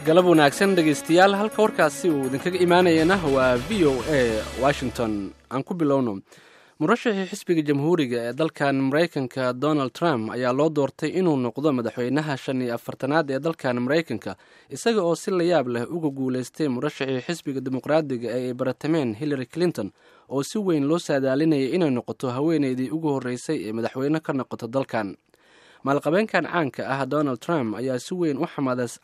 Galab wanaagsan, dhegaystayaal. Halka warkaasi uu idinkaga imaanayana waa VOA Washington. Aan ku bilowno. Murashaxii xisbiga Jamhuuriga ee dalkan Maraykanka, Donald Trump, ayaa loo doortay inuu noqdo madaxweynaha 45aad ee dalkan Maraykanka, isaga oo si layaab leh uga guulaystay murashaxii xisbiga Dimuqraadiga ee ay baratameen, Hillary Clinton, oo si weyn loo saadaalinayay inay noqoto haweeneydii ugu horreysay ee madaxweyne ka noqoto dalkan. Maalqabeenkan caanka ah, Donald Trump, ayaa si weyn u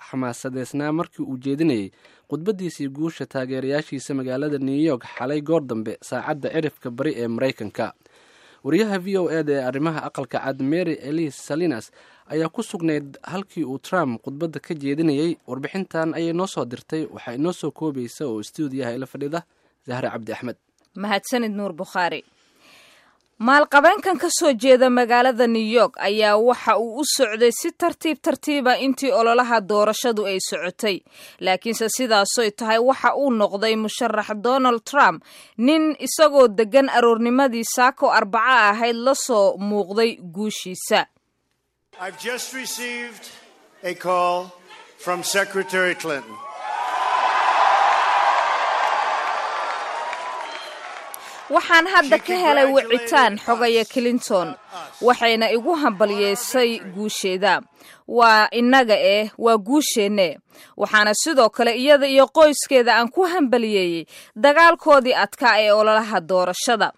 xamaasadeysnaa markii uu jeedinayay khudbadiisii guusha taageerayaashiisa magaalada New York xalay goor dambe, saacadda cirifka bari ee Maraykanka. Wariyaha VOA da ee arrimaha Aqalka Cad, Mary Elise Salinas, ayaa ku sugnayd halkii uu Trump khudbadda ka jeedinayay. Warbixintan ayay noo soo dirtay. Waxaa inoo soo koobaysa oo istuudiyaha ila fadhida Zahre Cabdi Axmed. Mahadsanid, Nuur Bukhaari. Maalqabeenkan ka soo jeeda magaalada New York ayaa waxa uu u socday si tartiib tartiiba intii ololaha doorashadu ay socotay, laakiinse sidaasoy tahay waxa uu noqday musharax Donald Trump nin isagoo deggan aroornimadii saako Arbaco ahayd la soo muuqday guushiisa. I've just received a call from Secretary Clinton. Waxaan hadda ka helay wicitaan xogaya Clinton, waxayna igu hambalyeysay guusheeda. Waa innaga eh, waa guusheenne. Waxaana sidoo kale iyada iyo qoyskeeda aan ku hambaliyeeyey dagaalkoodii adkaa ee ololaha doorashada.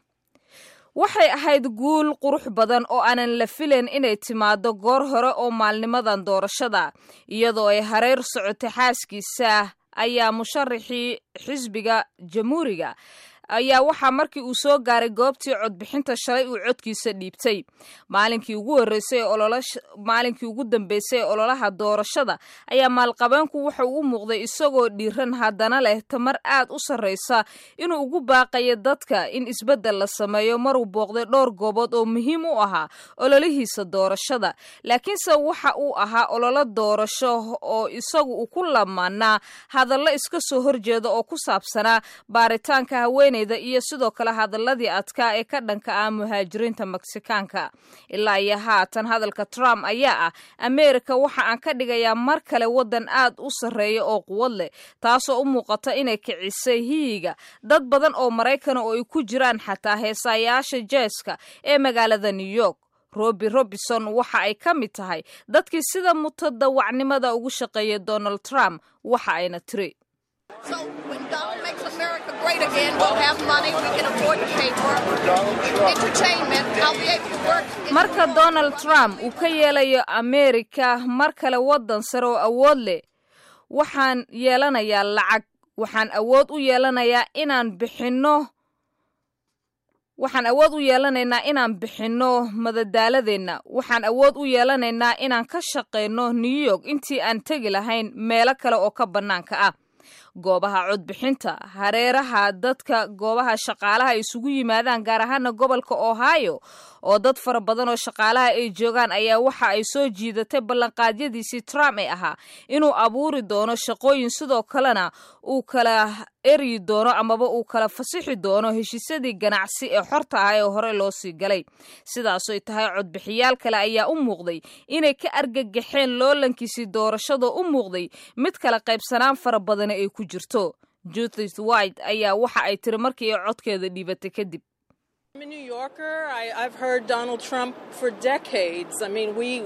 Waxay ahayd guul qurux badan oo aanan la filayn inay timaado goor hore oo maalnimadan doorashada. Iyadoo ay hareer socotay xaaskiisa ayaa musharaxii xisbiga Jamhuuriga ayaa waxaa markii uu soo gaaray goobtii codbixinta shalay uu codkiisa dhiibtay. Maalinkii ugu horreysay ee maalinkii ugu dambeysay ee ololaha doorashada ayaa maalqabeenku waxa uu u muuqday isagoo dhiiran, haddana leh tamar aad u sarreysa inuu ugu baaqayo dadka in isbeddel la sameeyo, maruu booqday dhowr goobood oo muhiim u ahaa ololihiisa doorashada. Laakiinse waxa uu ahaa ololo doorasho oo isagu uu ku lamaanaa hadallo iska soo horjeeda oo ku saabsanaa baaritaanka haweeneyda iyo sidoo kale hadaladii adkaa ee ka dhanka ah muhaajiriinta Meksikaanka. Ilaa iyo haatan hadalka Trump ayaa ah: "Ameerika waxa aan ka dhigayaa mar kale waddan aad u sarreeya oo quwad leh," taasoo u muuqata inay kicisay hiyiga dad badan oo Maraykana oo ay ku jiraan xataa heesaayaasha jazz-ka ee magaalada New York. Robi Robinson waxa ay ka mid tahay dadkii sida mutadawacnimada ugu shaqeeyay Donald Trump. Waxa ayna tiri: So when Donald makes America great again, we'll have money. We can afford to pay for entertainment. I'll be able to work. Marka Donald Trump uu ka yeelayo Ameerika mar kale waddan sare oo awood leh, waxaan yeelanayaa lacag, waxaan awood u yeelanayaa inaan bixinno, waxaan awood u yeelanaynaa inaan bixinno madadaaladeenna, waxaan awood u yeelanaynaa inaan ka shaqayno New York intii aan tegi lahayn meelo kale oo ka bannaanka ah. Goobaha codbixinta, hareeraha dadka goobaha shaqaalaha ay isugu yimaadaan, gaar ahaana gobolka Ohio oo dad fara badan oo shaqaalaha ay joogaan, ayaa waxa ay soo jiidatay ballanqaadyadiisii Trump ee ahaa inuu abuuri doono shaqooyin, sidoo kalena uu kala eryi doono amaba uu kala fasixi doono heshiisyadii ganacsi ee xorta ah ee hore loo sii galay. Sidaasoy tahay, codbixiyaal kale ayaa u muuqday inay ka argagaxeen loolankiisii doorashada u muuqday mid kala qaybsanaan fara badani ay ku jirto. Judith White ayaa waxa ay tiri markii ay codkeeda dhiibatay kadib: I'm a New Yorker. I've heard Donald Trump for decades. I mean, we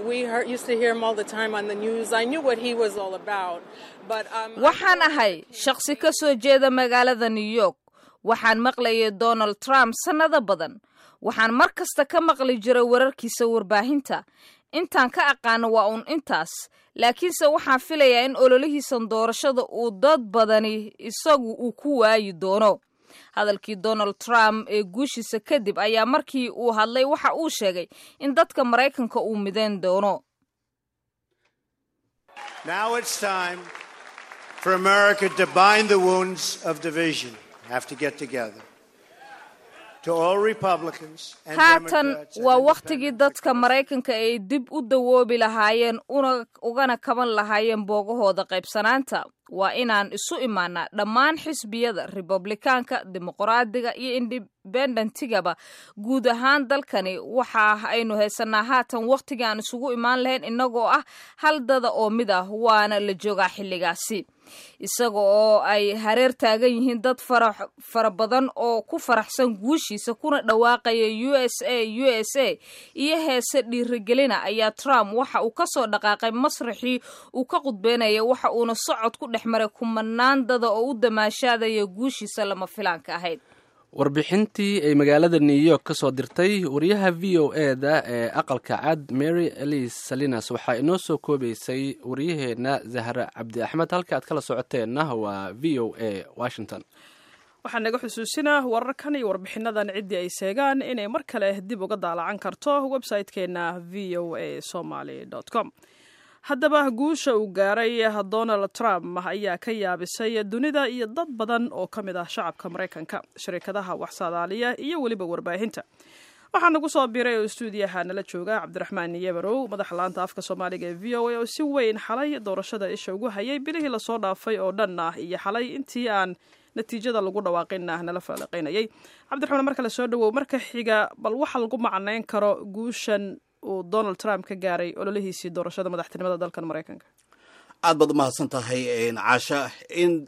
used to hear him all the time on the news. I knew what he was all about. But Waxaan ahay shaqsi ka soo jeeda magaalada New York. Waxaan maqlayay Donald Trump sannado badan. Waxaan mar kasta ka maqli jiray wararkiisa warbaahinta. Intaan ka aqaano waa uun intaas, laakiinse waxaan filayaa in ololihiisan doorashada uu dad badani isagu uu ku waayi doono. Hadalkii Donald Trump ee guushiisa kadib ayaa markii uu hadlay waxa uu sheegay in dadka Maraykanka uu midayn doono. Now it's time for America to bind the wounds of division. Have to get together. Haatan waa wakhtigii dadka Maraykanka ay dib u dawoobi lahaayeen ugana kaban lahaayeen boogahooda qaybsanaanta. Waa inaan isu imaanaa dhammaan xisbiyada Republikaanka, Dimuqraadiga iyo Independentigaba. Guud ahaan dalkani waxa aynu haysanaa haatan wakhtigii aan isugu imaan lahayn innagoo ah hal dada oo mid ah, waana la joogaa xilligaasi. Isaga oo ay hareer taagan yihiin dad fara badan oo ku faraxsan guushiisa kuna dhawaaqaya USA, USA iyo heese dhiirigelina, ayaa Trump waxa uu kasoo dhaqaaqay masraxii uu ka qudbeynaya, waxa uuna socod ku dhex maray kumanaan dada oo u damaashaadaya guushiisa lama filaanka ahayd. Warbixintii ay magaalada New York ka soo dirtay wariyaha VOA-da ee Aqalka Cad, Mary Elise Salinas, waxaa inoo soo koobaysay wariyaheenna Zahra Cabdi Axmed. Halka aad kala socoteenna waa VOA Washington. Waxaan naga xusuusinaa wararkan iyo warbixinadan ciddii ay seegaan inay mar kale dib uga daalacan karto website-keena voasomaly.com. Haddaba, guusha uu gaaray Donald Trump ayaa ka yaabisay dunida iyo dad badan oo ka mid ah shacabka Maraykanka, shirkadaha wax saadaaliya iyo weliba warbaahinta. Waxaa nagu soo biiray oo istuudiyaha nala jooga Cabdiraxmaan Yebarow, madaxa laanta afka Soomaaliga ee VOA, oo si weyn xalay doorashada isha ugu hayay bilihii lasoo dhaafay oo dhan ah, iyo xalay intii aan natiijada lagu dhawaaqinna nala faaliqaynayay. Cabdiraxmaan, marka la soo dhawow. Marka xiga, bal waxa lagu macnayn karo guushan uu Donald Trump ka gaaray ololihiisii doorashada madaxtinimada dalkan Maraykanka? Aad baad umahadsan tahay, Caasha. In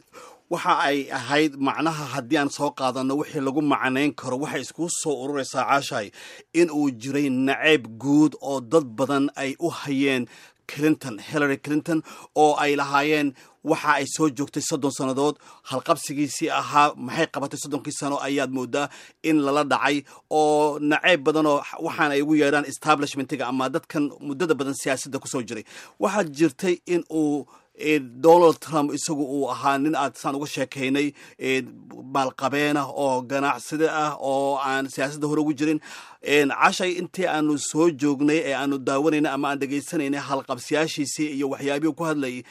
waxa ay ahayd macnaha haddii aan soo qaadano wixii lagu macnayn karo, waxay iskugu soo ururaysaa, Caashahay, in uu jiray nacayb guud oo dad badan ay u hayeen Clinton, Hillary Clinton, oo ay lahaayeen waxa ay soo joogtay 30 sannadood, halqabsigiisii ahaa maxay qabatay 30-kii sano ayaad moodaa in lala dhacay, oo nacayb badanoo waxaan ay ugu yeedhaan establishmentiga ama dadkan muddada badan siyaasadda kusoo jiray. Waxaa jirtay in uu Donald Trump isagu uu ahaa nin aad saan uga sheekaynay maalqabeena oo ganacsida ah oo aan siyaasadda hore ugu jirin. Cashay, intii aanu soo joognay ee aanu daawanaynay ama aan dhegaysanaynay halqabsiyaashiisii iyo waxyaabihii ku hadlayay,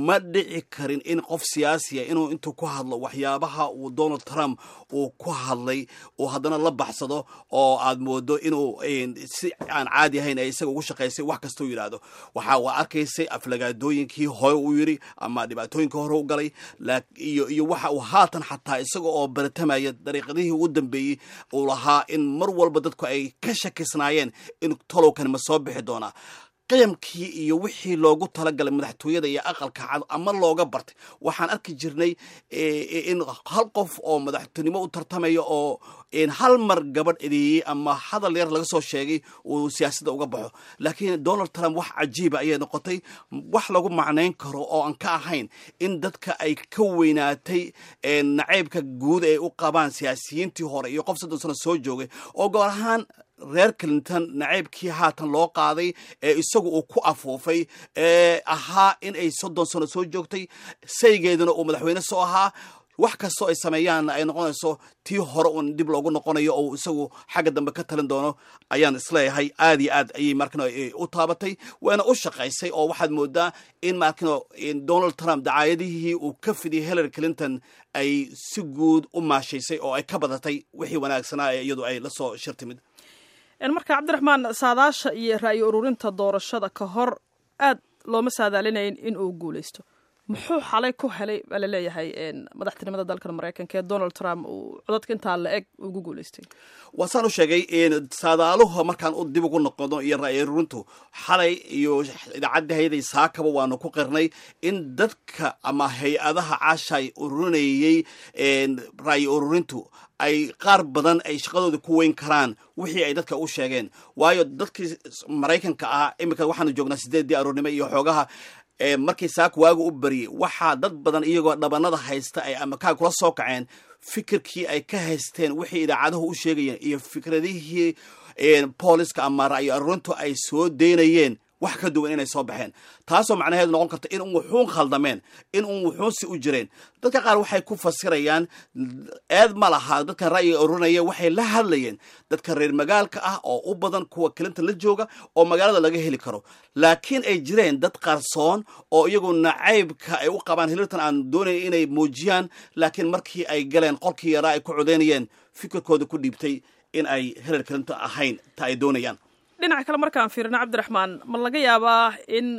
ma dhici karin in qof siyaasiya inuu intuu ku hadlo waxyaabaha uu Donald Trump uu ku hadlay uu haddana la baxsado, oo aad moodo inuu si aan caadi ahayn ay isaga ugu shaqaysay wax kastuu yidhaahdo. Waxa uu arkaysay aflagaadooyinkii hore uu yidhi ama dhibaatooyinkii hore u galay iyo waxa uu haatan xataa isaga oo baratamaya dariiqadihii ugu dambeeyey uu lahaa in mar walba dadku ay ka shakisnaayeen in tolowkan ma soo bixi doonaa. Qiyamkii iyo wixii loogu talagalay madaxtooyada iyo Aqalka Cad ama looga bartay, waxaan arki jirnay in hal qof oo madaxtinimo u tartamaya oo hal mar gabadh edeeyey ama hadal yar laga soo sheegay uu siyaasadda uga baxo, laakiin Donald Trump wax cajiiba ayay noqotay. Wax lagu macnayn karo oo aan ka ahayn in dadka ay ka weynaatay nacaybka guud ay u qabaan siyaasiyiintii hore iyo qof 30 sano soo joogay, oo goor ahaan reer Clinton nacaybkii haatan loo qaaday ee isagu uu ku afuufay ee ahaa in ay 30 sano soo joogtay, saygeeduna uu madaxweyne soo ahaa, wax kastoo ay sameeyaanna ay noqonayso tii hore uun dib loogu noqonayo oo isagu xagga dambe ka talin doono, ayaan isleeyahay aad iyo aad ayay markano u taabatay, waana u shaqaysay. Oo waxaad moodaa in markano Donald Trump dacaayadihii uu ka fidiyay Hillary Clinton ay si guud u maashaysay oo ay ka badatay wixii wanaagsanaa ee iyadu ay la soo shirtimid. Marka, Cabdiraxmaan, saadaasha iyo ra'yi ururinta doorashada ka hor aad looma saadaalinayn in uu guuleysto. Muxuu xalay ku helay baa laleeyahay madaxtinimada dalkan Maraykanka ee Donald Trump uu codadka intaa la eg ugu guuleystay? Waa saan u sheegay, saadaaluhu markaan u dib ugu noqono iyo ra'yi ururintu xalay iyo idaacadda hayday saakaba waanu ku qirnay in dadka ama hay-adaha, Caashay, ururinayay ra'yi ururintu ay qaar badan ay shaqadooda ku weyn karaan wixii ay dadka u sheegeen, waayo dadkii Maraykanka ah iminka waxaanu joognaa 8-dii aroornimo iyo xoogaha. Markii saaka waagu u bariyey, waxaa dad badan iyagoo dhabanada haysta ay ama kaa kula soo kaceen fikirkii ay ka haysteen wixii idaacaduhu u sheegayeen iyo fikradihii booliska ama ra'yi aruurintu ay soo deynayeen. wax ka duwan inay soo baxeen, taasoo macnaheedu noqon karta in un wuxuun khaldameen, in un wuxuunsi u jireen. Dadka qaar waxay ku fasirayaan eed ma laha dadkan ra'yiga ururinaya, waxay la hadlayeen dadka reer magaalka ah oo u badan kuwa Clinton la jooga oo magaalada laga heli karo, laakiin ay jireen dad qarsoon oo iyagu nacaybka ay u qabaan Hillary aan doonayn inay muujiyaan, laakiin markii ay galeen qolkii yaraa ay ku codeynayeen fikirkooda ku dhiibtay in ay Hillary Clinton ahayn ta ay doonayaan. Dhinaca kale markaan fiirino, Cabdiraxmaan, ma laga yaabaa in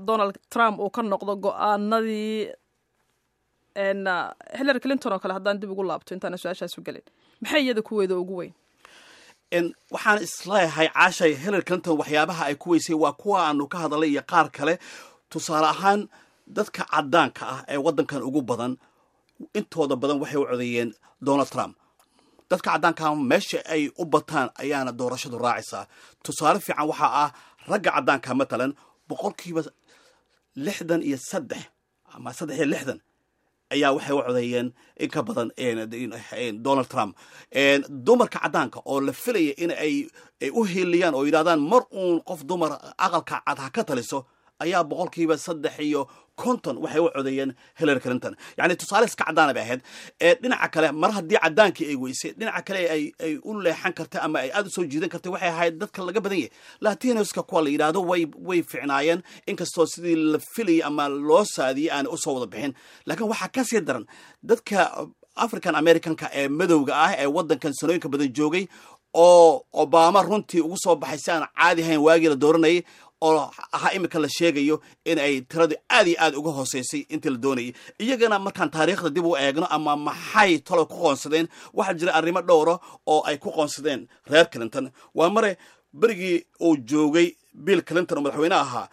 Donald Trump uu ka noqdo go-aanadii Hillary Clinton oo kale? Haddaan dib ugu laabto intaana su-aashaas u gelin, maxay iyada kuweeda ugu weyn? Waxaan isleeyahay, Caashay, Hillary Clinton waxyaabaha ay ku weysay waa kuwa aanu ka hadalay iyo qaar kale. Tusaale ahaan, dadka caddaanka ah ee waddankan ugu badan, intooda badan waxay u codeeyeen Donald Trump. Dadka caddaankaa meesha ay u bataan ayaana doorashadu raacaysaa. Tusaale fiican waxaa ah ragga caddaanka, matalan, 63% ama 63 ayaa waxay u codeeyeen in ka badan Donald Trump. Dumarka caddaanka oo la filaya in ay u hiiliyaan oo yidhahdaan mar uun qof dumar Aqalka Cad ha ka taliso ayaa 53% waxay u codeeyeen Hillary Clinton. Yacni tusaale iska caddaana bay ahayd. Dhinaca kale, mar haddii caddaankii ay weysay, dhinaca kale ay u leexan kartay ama ay aada u soo jiidan kartay waxay ahayd dadka laga badan yahay, Latinoska kuwa la yidhaahdo. Way ficnaayeen, inkastoo sidii la filayay ama loo saadiyey aanay usoo wada bixin. Laakiin waxaa kasii daran dadka African Americanka ee madowga ah ee waddankan sanooyinka badan joogay, oo Obama runtii ugu soo baxay si aan caadi ahayn waagii la dooranayay, oo ahaa imika la sheegayo in ay tiradu aad iyo aad uga hooseysay intii la doonayay. Iyagana markaan taariikhda dib u eegno ama maxay talo ku qoonsadeen, waxaa jira arrimo dhowra oo ay ku qoonsadeen reer Clinton. Waa mare, berigii uu joogay Bill Clinton oo madaxweyne ahaa,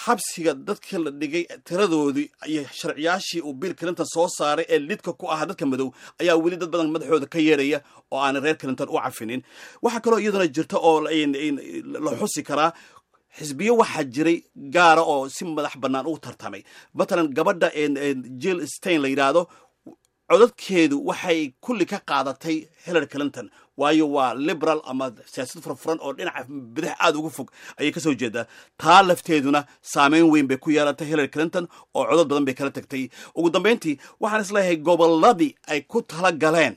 xabsiga dadkii la dhigay tiradoodii iyo sharciyaashii uu Bill Clinton soo saaray ee lidka ku ahaa dadka madow ayaa weli dad badan madaxooda ka yeeraya oo aanay reer Clinton u cafinin. Waxaa kaloo iyaduna jirta oo la xusi karaa, xisbiyo waxaa jiray gaara oo si madax bannaan u tartamay. Matalan, gabadha Jill Stein la yidhaahdo, codadkeedu waxay kulli ka qaadatay Hillary Clinton, waayo waa liberal ama siyaasad furfuran oo dhinaca bidix aada uga fog ayay kasoo jeedaa. Taa lafteeduna saameyn weyn bay ku yeelatay Hillary Clinton oo codad badan bay kala tagtay. Ugu dambeyntii, waxaan isleeyahay gobolladii ay ku tala galeen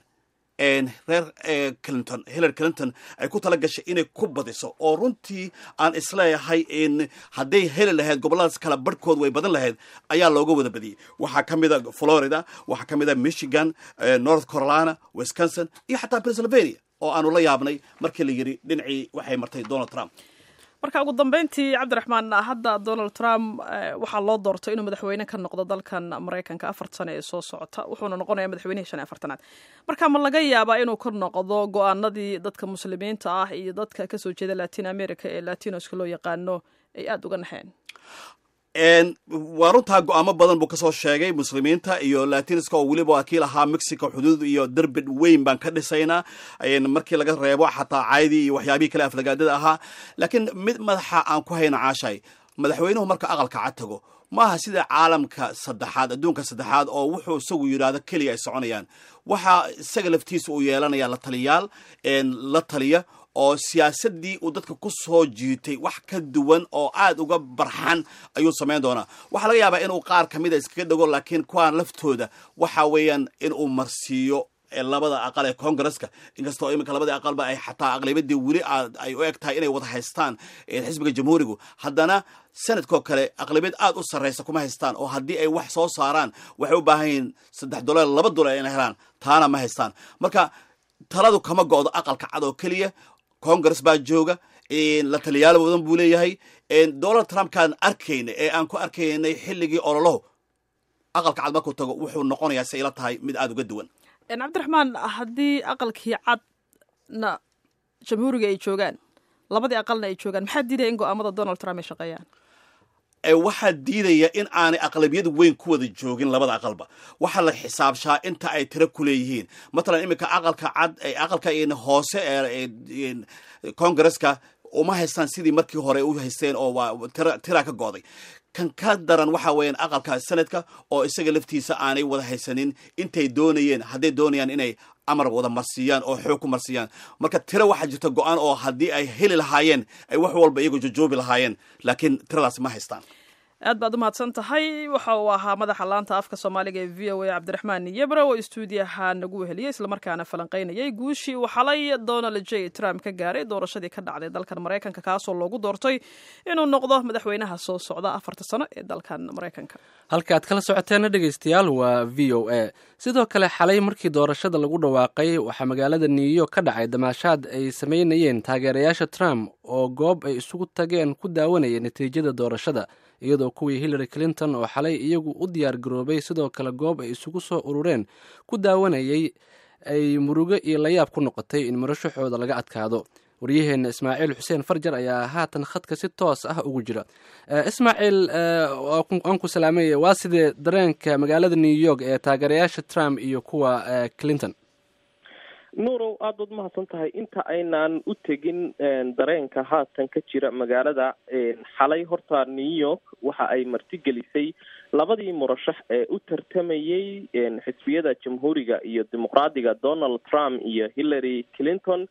reer Clinton, Hillary Clinton ay ku tala gashay inay ku badiso, oo runtii aan isleeyahay in hadday heli lahayd gobolladaas kala barhkood way badan lahayd, ayaa looga wada badiyey. Waxaa ka mid a Florida, waxaa ka mid a Michigan, North Carolina, Wisconsin iyo xataa Pennsylvania oo aanu la yaabnay markii la yidhi dhinacii waxay martay Donald Trump. Marka ugu dambeyntii, Cabdiraxmaan, hadda Donald Trump waxaa loo doortay inuu madaxweyne ka noqdo dalkan Maraykanka 4 sano ee soo socota, wuxuuna noqonayaa madaxweynihii 45aad. Marka ma laga yaabaa inuu ka noqdo go-aanadii dadka Muslimiinta ah iyo dadka kasoo jeeda Latin America ee Latinoska loo yaqaano ay aada uga naxeen? Waa runtaa, go-aamo badan buu kasoo sheegay Muslimiinta iyo Latinoska, oo weliba waa kii lahaa Mexico xuduud iyo derbi weyn baan ka dhisaynaa, markii laga reebo xataa caydii iyo waxyaabihii kale aflagaadada ahaa. Laakiin mid madaxa aan ku hayno, Caashay, madaxweynuhu marka Aqalka Cad tago maaha sida caalamka saddexaad, adduunka saddexaad, oo wuxuu isagu yidhaahdo keliya ay soconayaan. Waxaa isaga laftiisa uu yeelanaya la taliyaal la taliya, oo siyaasaddii uu dadka ku soo jiitay wax ka duwan oo aad uga barxan ayuu samayn doonaa. Waxaa laga yaabaa inuu qaar ka mida iskaga dhego, laakiin kuwaan laftooda waxa weeyaan inuu marsiiyo labada aqal ee Congresska, inkastoo iminka labada aqalba ay xataa aqlabiyadii weli ay u eg tahay inay wada haystaan xisbiga Jamhuurigu, haddana Senatkoo kale aqlabiyad aad u sarreysa kuma haystaan, oo haddii ay wax soo saaraan waxay u baahan yihiin 3 dolar 2 dolar inay helaan, taana ma haystaan. Marka taladu kama go'do Aqalka Cad oo keliya, Congress baa jooga, la taliyaal badan buu leeyahay. Donald Trumpkaan arkayna ee aan ku arkaynay xilligii ololahu, Aqalka Cad markuu tago wuxuu noqonayaa, si ila tahay, mid aada uga duwan. Cabdiraxmaan, haddii Aqalkii Cadna Jamhuuriga ay joogaan, labadii aqalna ay joogaan, maxaa diidaya in go-aamada Donald Trump ay shaqeeyaan? Waxaa diidaya in aanay aqlabiyad weyn ku wada joogin labada aqalba. Waxaa la xisaabshaa inta ay tiro ku leeyihiin. Matalan, iminka Aqalka Cad, aqalka hoose ee Congresska uma haystaan sidii markii hore u haysteen, oo waa tira ka go'day. Kan ka daran waxa weeyaan aqalka Senate-ka oo isaga laftiisa aanay wada haysanin intay doonayeen, hadday doonayaan inay amar wada marsiiyaan oo xoog ku marsiiyaan. Marka tiro waxaa jirta go-aan oo haddii ay heli lahaayeen ay wax walba iyagoo jojoobi lahaayeen, laakiin tiradaas ma haystaan. Aad baad u mahadsan tahay. Waxa uu ahaa madaxa laanta afka Soomaaliga ee VOA, Cabdiraxmaan Yebra, oo istuudiyaha nagu weheliyey islamarkaana falanqaynayay guushii uu xalay Donald J Trump ka gaaray doorashadii ka dhacday dalkan Maraykanka, kaasoo loogu doortay inuu noqdo madaxweynaha soo socda 4-ta sano ee dalkan Maraykanka. Halka aad kala socoteena, dhegeystayaal, waa VOA. Sidoo kale, xalay markii doorashada lagu dhawaaqay waxaa magaalada New York ka dhacay damaashaad ay sameynayeen taageerayaasha Trump oo goob ay isugu tageen ku daawanayeen natiijada doorashada, iyadoo kuwii Hillary Clinton oo xalay iyagu u diyaar garoobay sidoo kale goob ay isugu soo urureen ku daawanayay ay murugo iyo layaab ku noqotay in murashaxooda laga adkaado. Waryaheenna Ismaaciil Xuseen Farjar ayaa haatan khadka si toos ah ugu jira. Ismaaciil, aan ku salaamay. Waa sidee dareenka magaalada New York ee taageerayaasha Trump iyo kuwa Clinton? Nuurow, aad baad umahadsan tahay. Inta aynaan u tegin dareenka haatan ka jira magaalada, xalay horta New York waxa ay martigelisay labadii murashax ee u tartamayey xisbiyada Jamhuuriga iyo Dimuqraadiga, Donald Trump iyo Hillary Clinton.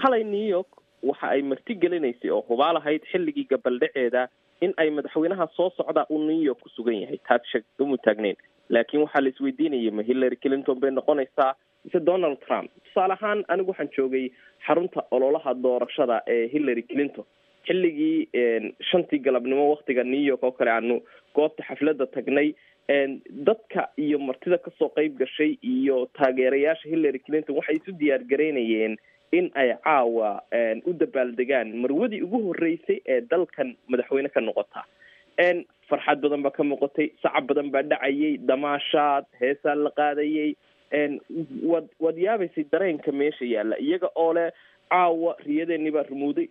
Xalay New York waxa ay martigelinaysay oo hubaal ahayd xilligii gabaldhaceeda in ay madaxweynaha soo socda uu New York ku sugan yahay. Taas shakamu taagneyn, laakiin waxaa la isweydiinayay, ma Hillary Clinton bay noqonaysaa mise Donald Trump? Tusaale ahaan, anigu waxaan joogay xarunta ololaha doorashada ee Hillary Clinton xilligii 5-tii galabnimo waktiga New York oo kale aanu goobta xafladda tagnay. Dadka iyo martida kasoo qeyb gashay iyo taageerayaasha Hillary Clinton waxay isu diyaar garaynayeen in ay caawa u dabaaldegaan marwadii ugu horreysay ee dalkan madaxweyne ka noqota. Farxad badan baa ka muuqatay, sacab badan baa dhacayay, damaashaad, heesaa la qaadayay. Waad yaabaysay dareenka meesha yaalla, iyaga oo leh caawa riyadeenii baa rumuuday.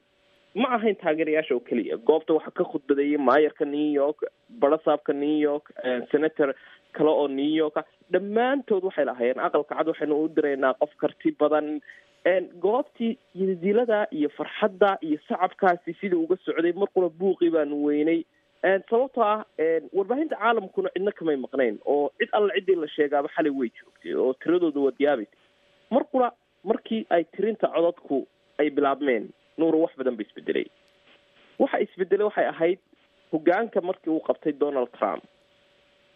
Ma ahayn taageerayaasha oo keliya. Goobta waxaa ka khudbadeeyay maayarka New York, barasaabka New York, senator kale oo New York ah. Dhammaantood waxay lahaayeen Aqalka Cad waxaynu u diraynaa qof karti badan. Goobtii yidilada iyo farxadda iyo sacabkaasi sidai uga socday, mar qura buuqii baanu weynay, sababtoo ah warbaahinta caalamkuna cidna kamay maqnayn oo cid alla ciddii la sheegaaba xalay way joogtay oo tiradooda waad yaabaysay. Mar qura markii ay tirinta codadku ay bilaabmeen, Nuuru, wax badan ba isbedelay. Waxa isbedelay waxay ahayd hogaanka markii uu qabtay Donald Trump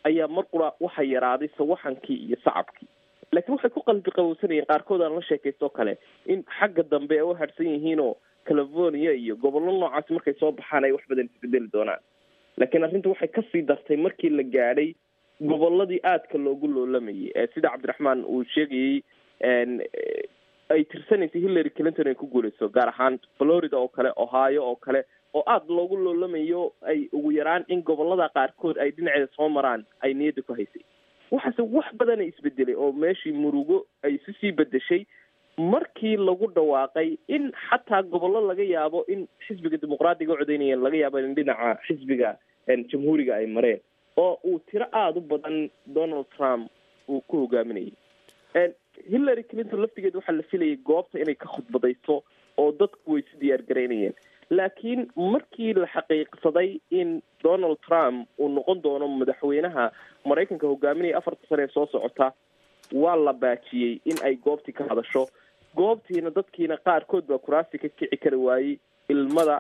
ayaa mar qura waxa yaraaday sawaxankii iyo sacabkii, laakiin waxay ku qalbi qabowsanayeen qaarkood aan la sheekaysto kale in xagga dambe ay u hadhsan yihiinoo California iyo gobollo noocaasi markay soo baxaan ay wax badan isbedeli doonaan. Laakiin arrinta waxay kasii dartay markii la gaadhay gobolladii aadka loogu loolamayay ee sida Cabdiraxmaan uu sheegayey ay tirsanaysay Hillary Clinton ay ku guuleyso, gaar ahaan Florida oo kale, Ohio oo kale oo aada loogu loolamayo, ay ugu yaraan in gobolada qaarkood ay dhinaceeda soo maraan ay niyadda ku haysay. Waxaase wax badana isbedelay oo meeshii murugo ay isu sii bedeshay markii lagu dhawaaqay in xataa gobollo laga yaabo in xisbiga Dimuqraadiga u codeynayeen laga yaabo in dhinaca xisbiga Jamhuuriga ay mareen oo uu tiro aada u badan Donald Trump uu ku hogaaminayay. Hillary Clinton laftigeed waxaa la filayay goobta inay ka khudbadayso oo dadku way isu diyaar garaynayeen, laakiin markii la xaqiiqsaday in Donald Trump uu noqon doono madaxweynaha Maraykanka hogaaminaya 4-ta sane ee soo socota, waa la baajiyey in ay goobtii ka hadasho. Goobtiina dadkiina qaarkood baa kuraasti ka kici kari waayey. Ilmada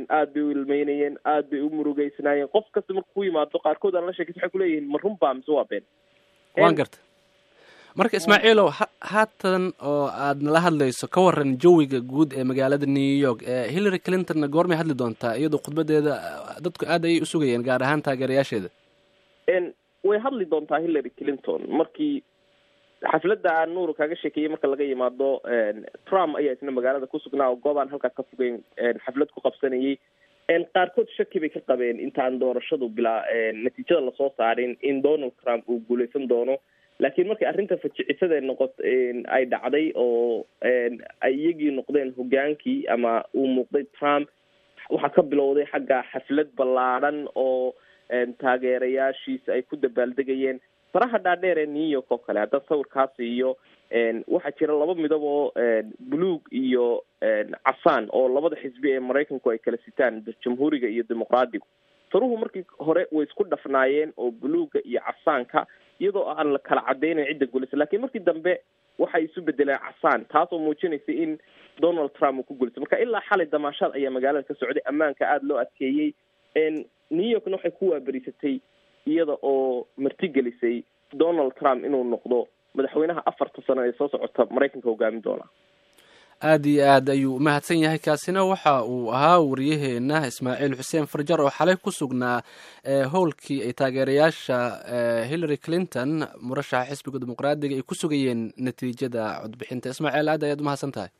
aad bay u ilmeynayeen, aad bay u murugeysnaayeen. Qof kasta markuu ku yimaado, qaarkood aan la sheekaysa, waxay kuleeyihiin, ma run baa mise waa been? Waan garta. Marka, Ismaaciilow, haatan oo aad nala hadlayso, ka waran jawiga guud ee magaalada New York? Hillary Clintonna goormay hadli doontaa, iyadoo khudbadeeda dadku aad ayay usugayeen, gaar ahaan taageerayaasheeda? Way hadli doontaa Hillary Clinton. Markii xafladda aan Nuur kaaga sheekeeyey marka laga yimaado, Trump ayaa isna magaalada ku sugnaa oo goob aan halkaa ka fogeyn xaflad ku qabsanayay. Qaarkood shaki bay ka qabeen intaan doorashadu bilaa natiijada lasoo saarin in Donald Trump uu guuleysan doono, laakiin markii arrinta fajicisada noqot ay dhacday oo ay iyagii noqdeen hogaankii ama uu muuqday Trump, waxaa ka bilowday xagga xaflad ballaadhan oo taageerayaashiisa ay ku dabaaldegayeen faraha dhaadheer ee New York oo kale. Haddaan sawirkaasi iyo waxaa jira laba midab oo buluug iyo casaan oo labada xisbi ee Maraykanku ay kala sitaan, Jamhuuriga iyo Dimuqraadigu. Faruhu markii hore way isku dhafnaayeen oo buluuga iyo casaanka, iyadoo aan la kala cadeynayn cidda guulaysa, lakiin markii dambe waxay isu bedeleen casaan, taasoo muujinaysa in Donald Trump uu ku guulaystay. Marka ilaa xalay damaashaad ayaa magaalada ka socday, ammaanka aada loo adkeeyey. New Yorkna waxay ku waaberiisatay iyada oo martigelisay Donald Trump inuu noqdo madaxweynaha 4ta sano ee soo socota Maraykanka hogaamin doona. Aada iyo aad ayuu umahadsan yahay. Kaasina waxa uu ahaa wariyaheena Ismaaciil Xuseen Farjar oo xalay ku sugnaa howlkii ay taageerayaasha Hillary Clinton, murashaxa xisbiga Dimuqraadiga, ay ku sugayeen natiijada codbixinta. Ismaaciil, aad ayaad umahadsan tahay.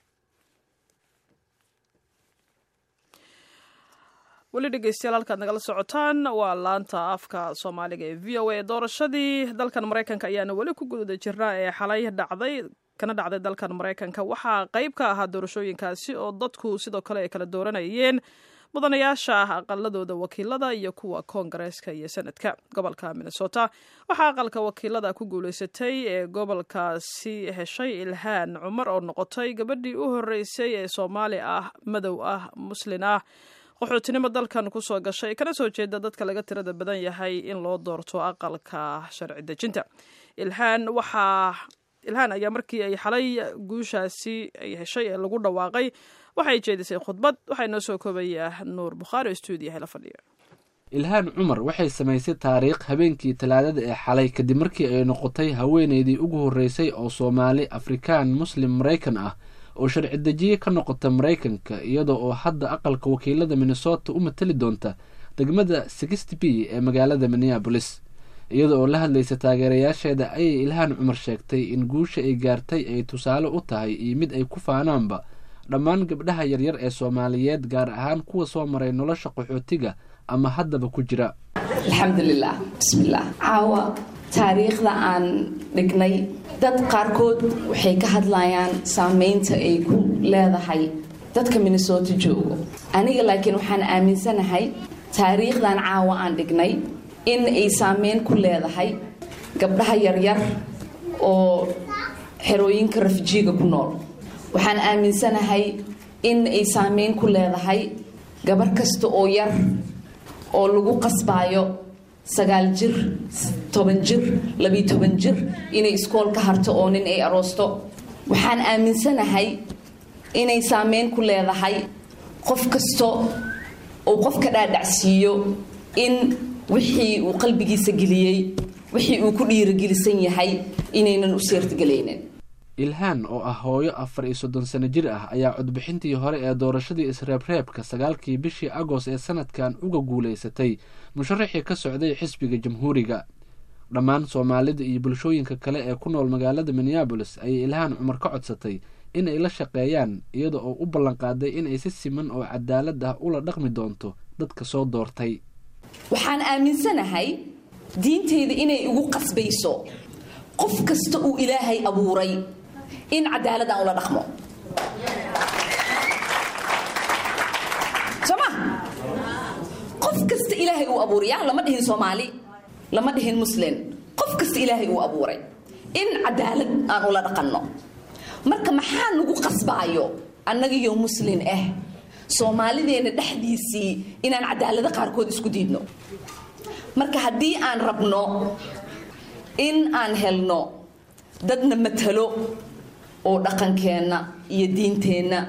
Weli dhegeystayaal, halkaad nagala socotaan waa laanta afka Soomaaliga ee VOA. Doorashadii dalkan Maraykanka ayaana weli ku guda jirnaa ee xalay dhacday kana dhacday dalkan Maraykanka. Waxaa qayb ka ahaa doorashooyinkaasi oo dadku sidoo kale ay kala dooranayeen mudanayaasha ah aqaladooda wakiilada iyo kuwa koongareeska iyo sanadka. Gobolka Minnesota waxaa aqalka wakiilada ku guuleysatay ee gobolkaasi heshay Ilhaan Cumar, oo noqotay gabadhii u horeysay ee Soomaali ah, madow ah, Muslin ah, qaxootinimo dalkan kusoo gashay, kana soo jeeda dadka laga tirada badan yahay in loo doorto aqalka sharci dejinta. Ilhaan waxaa Ilhaan ayaa markii ay xalay guushaasi ay heshay ee lagu dhawaaqay waxay jeedisay khudbad. Waxaa inoo soo koobayaa Nuur Bukhaari oo stuudiyaha la fadhiya. Ilhaan Cumar waxay samaysay taariikh habeenkii Talaadada ee xalay, kadib markii ay noqotay haweeneydii ugu horreysay oo Soomaali Afrikaan Muslim Maraykan ah oo sharci dejiye ka noqota Maraykanka, iyada oo hadda aqalka wakiilada Minnesota u matali doonta degmada 60 B ee magaalada Minneapolis. Iyada oo la hadlaysa taageerayaasheeda ayay Ilhaan Cumar sheegtay in guusha ay gaartay ay tusaale u tahay iyo mid ay ku faanaanba dhammaan gabdhaha yaryar ee Soomaaliyeed, gaar ahaan kuwa soo maray nolosha qaxootiga ama haddaba ku jira. Alxamdulilah, bismillaah. Caawa taariikhda aan dhignay, dad qaarkood waxay ka hadlayaan saameynta ay ku leedahay dadka Minnesota joogo. Aniga laakiin waxaan aaminsanahay taariikhdan caawa aan dhignay in ay saameyn ku leedahay gabdhaha yaryar oo xerooyinka refugeega ku nool. Waxaan aaminsanahay in ay saameyn ku leedahay gabar kasta oo yar oo lagu qasbaayo 9 jir, 10 jir, 12 jir inay iskool ka harto oo nin ay aroosto. Waxaan aaminsanahay inay saameyn ku leedahay qof kasta oo qofka dhaadhacsiiyo in wixii uu qalbigiisa geliyey, wixii uu ku dhiirigelisan yahay, inaynan u seertagelaynin. Ilhaan oo ah hooyo 34 sano jir ah ayaa codbixintii hore ee doorashadii isreebreebka 9kii bishii Agost ee sanadkan uga guulaysatay musharaxii ka socday xisbiga Jamhuuriga. Dhammaan Soomaalida iyo bulshooyinka kale ee ku nool magaalada Minneapolis ayay Ilhaan Cumar ka codsatay in ay la shaqeeyaan, iyada oo u ballanqaaday in ay si siman oo cadaalad ah ula dhaqmi doonto dadka soo doortay. Waxaan aaminsanahay diinteyda inay igu qasbayso qof kasta uu Ilaahay abuuray in cadaalad aan ula dhaqmo. Soo ma qof kasta Ilaahay uu abuuray ya lama dhihin Soomaali, lama dhihin Muslim, qof kasta Ilaahay uu abuuray in cadaalad aan ula dhaqanno. Marka maxaa nagu qasbaayo annagiyo Muslin ah, Soomaalideena dhexdiisii, inaan cadaalado qaarkood isku diidno? Marka haddii aan rabno in aan helno dadna matalo oo dhaqankeenna iyo diinteenna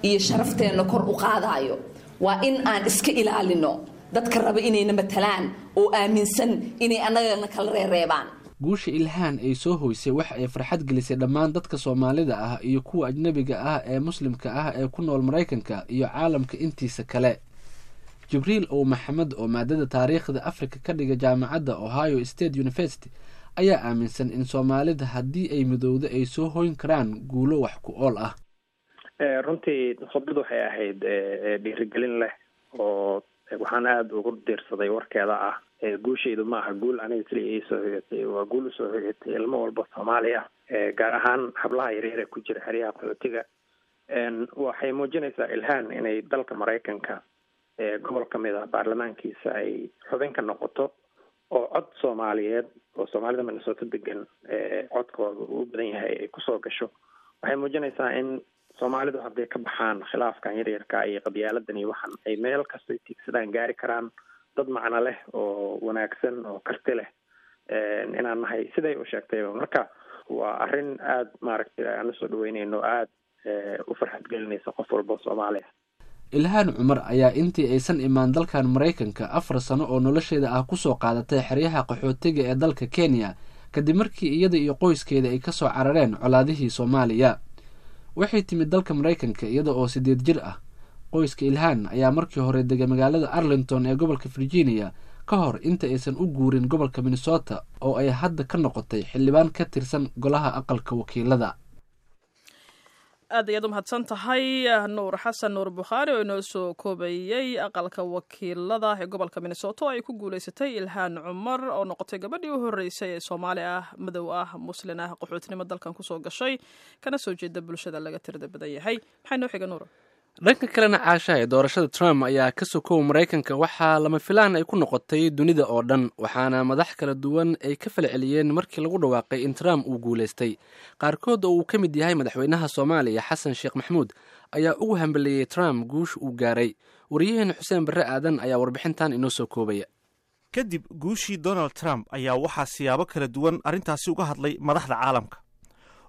iyo sharafteenna kor u qaadaayo, waa in aan iska ilaalino dadka raba inayna matalaan oo aaminsan inay annagana kala reereebaan. Guusha Ilhaan ay soo hoysay waxa ay farxad gelisay dhammaan dadka Soomaalida ah iyo kuwa ajnabiga ah ee Muslimka ah ee ku nool Maraykanka iyo caalamka intiisa kale. Jibriil Ow Maxamed oo maadada taariikhda Afrika ka dhiga jaamacadda Ohio State University ayaa aaminsan in Soomaalida haddii ay midowdo ay soo hoyn karaan guulo wax ku ool ah. Runtii khudbad waxay ahayd dhiirigelin leh, oo waxaan aada ugu diirsaday warkeeda ah: "Guushaydu ma aha guul aniga keliya ii soo hoyatay, waa guul usoo hoyatay ilmo walba Soomaali ah, gaar ahaan hablaha yaryar ee ku jira xeryaha qaxootiga." Waxay muujinaysaa Ilhaan inay dalka Maraykanka gobol ka mid ah baarlamaankiisa ay xubin ka noqoto, oo cod Soomaaliyeed oo Soomaalida Minnesota degan codkooda uu u badan yahay ay kusoo gasho. Waxay muujinaysaa in Soomaalidu hadday ka baxaan khilaafkan yaryarka iyo qabyaaladan iyo waxan, ay meel kastoo tiigsadaan gaari karaan. Dad macno leh oo wanaagsan oo karti leh inaan nahay siday u sheegtayba. Marka waa arrin aada maaragtay aan usoo dhaweyneyno, aada u farxad gelinaysa qof walba Soomaaliya. Ilhaan Cumar ayaa intii aysan imaan dalkan Maraykanka 4 sano oo nolosheeda ah kusoo qaadatay xeryaha qaxootiga ee dalka Kenya, kadib markii iyada iyo qoyskeeda ay kasoo carareen colaadihii Soomaaliya. Waxay timid dalka Maraykanka iyada oo 8 jir ah. Qoyska Ilhaan ayaa markii hore degay magaalada Arlington ee gobolka Virginia, ka hor inta aysan u guurin gobolka Minnesota, oo ay hadda ka noqotay xildhibaan ka tirsan golaha Aqalka Wakiilada. Aad ayaad u mahadsan tahay, Nuur Xasan Nuur Bukhaari, oo inoo soo koobayey Aqalka Wakiilada ee gobolka Minnesota oo ay ku guuleysatay Ilhaan Cumar, oo noqotay gabadhii u horreysay ee Soomaali ah, madow ah, Muslin ah, qaxootinimo dalkan kusoo gashay, kana soo jeeda bulshada laga tirada badan yahay. Maxay noo xiga, Nuur? Dhanka kalena, Caashahay, doorashada Trump ayaa ka sokow Maraykanka waxaa lama filaan ay ku noqotay dunida oo dhan, waxaana madax kala duwan ay ka falceliyeen markii lagu dhawaaqay in Trump uu guulaystay. Qaarkood, oo uu ka mid yahay madaxweynaha Soomaaliya Xasan Sheekh Maxamuud, ayaa ugu hambeleeyey Trump guush uu gaaray. Wariyaheena Xuseen Barre Aadan ayaa warbixintan inoo soo koobaya. Kadib guushii Donald Trump ayaa waxaa siyaabo kala duwan arrintaasi uga hadlay madaxda caalamka.